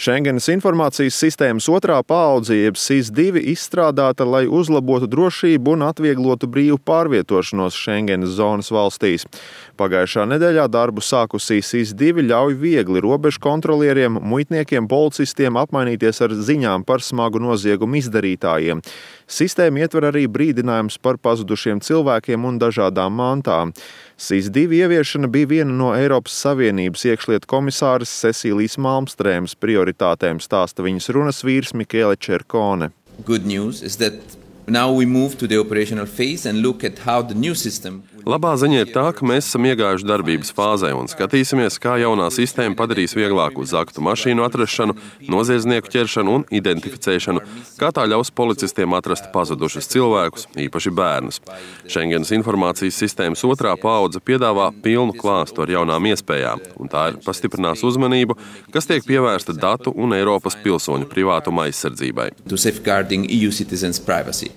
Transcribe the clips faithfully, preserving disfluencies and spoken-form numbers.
Schengenas informācijas sistēmas otrā paudze, jeb SIS divi, izstrādāta, lai uzlabotu drošību un atvieglotu brīvu pārvietošanos Schengenas zonas valstīs. Pagājušā nedēļā darbu sākusī SIS divi ļauj viegli robežu kontrolieriem, muitniekiem, policistiem apmainīties ar ziņām par smagu noziegumu izdarītājiem. Sistēma ietver arī brīdinājums par pazudušiem cilvēkiem un dažādām mantām. SIS divi ieviešana bija viena no Eiropas Savienības iekšlietu komisāres Cecīlijas Malmstrēmas prioritātēm, stāsta viņas runas vīrs Michele Cercone. Good news is that now we move to the operational phase and look at how the new system. Labā ziņa ir tā, ka mēs esam iegājuši darbības fāzē un skatīsimies, kā jaunā sistēma padarīs vieglāku zaktu mašīnu atrašanu, noziedznieku ķeršanu un identificēšanu, kā tā ļaus policistiem atrast pazudušus cilvēkus, īpaši bērnus. Schengenas informācijas sistēmas otrā paudze piedāvā pilnu klāstu ar jaunām iespējām, un tā ir pastiprinās uzmanību, kas tiek pievērsta datu un Eiropas pilsoņu privātuma aizsardzībai. To safeguarding E U citizens' privacy.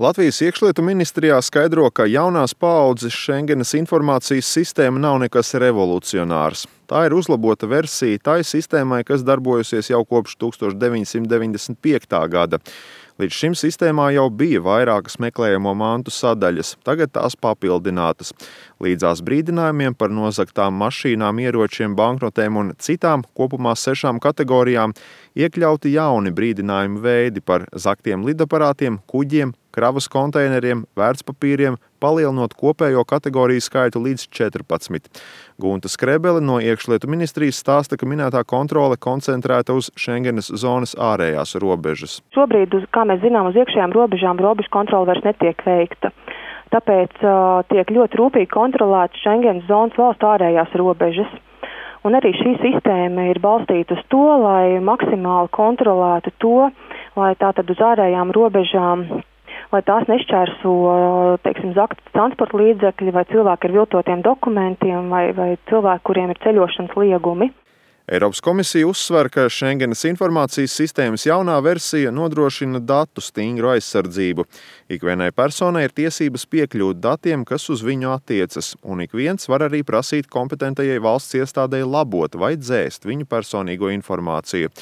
Latvijas iekšlietu ministrijā skaidro, ka jaunās paaudzes Schengenas informācijas sistēma nav nekas revolucionārs. Tā ir uzlabota versija tai sistēmai, kas darbojusies jau kopš tuksstoš deviņsimt deviņdesmit piektā gada. Līdz šim sistēmā jau bija vairākas meklējamo mantu sadaļas, tagad tās papildinātas. Līdzās brīdinājumiem par nozagtām mašīnām, ieročiem, banknotēm un citām kopumā sešām kategorijām iekļauti jauni brīdinājumu veidi par zaktiem lidaparātiem, kuģiem, kravas konteineriem, vērtspapīriem, palielinot kopējo kategoriju skaitu līdz četrpadsmit. Gunta Skrebele no iekšlietu ministrijas stāsta, ka minētā kontrole koncentrēta uz Schengenas zonas ārējās robežas. Šobrīd, kā mēs zinām, uz iekšējām robežām robežu kontrole vairs netiek veikta. Tāpēc uh, tiek ļoti rūpīgi kontrolētas Schengenas zonas valstu ārējās robežas. Un arī šī sistēma ir balstīta uz to, lai maksimāli kontrolētu to, lai tātad uz ārējām robežām, lai tās nešķērso, teiksim, zaktas transporta līdzekļi vai cilvēki ar viltotiem dokumentiem vai, vai cilvēki, kuriem ir ceļošanas liegumi. Eiropas komisija uzsver, ka Schengenas informācijas sistēmas jaunā versija nodrošina datu stingru aizsardzību. Ikvienai personai ir tiesības piekļūt datiem, kas uz viņu attiecas, un ik viens var arī prasīt kompetentajai valsts iestādei labot vai dzēst viņu personīgo informāciju.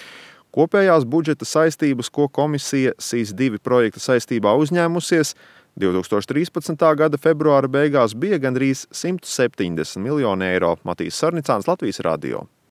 Kopējās budžeta saistības, ko komisija SIS divi projekta saistībā uzņēmusies, divtūkstoš trīspadsmitā gada februāra beigās bija gandrīz simt septiņdesmit miljoni eiro. Matīs Sarnicāns, Latvijas radio.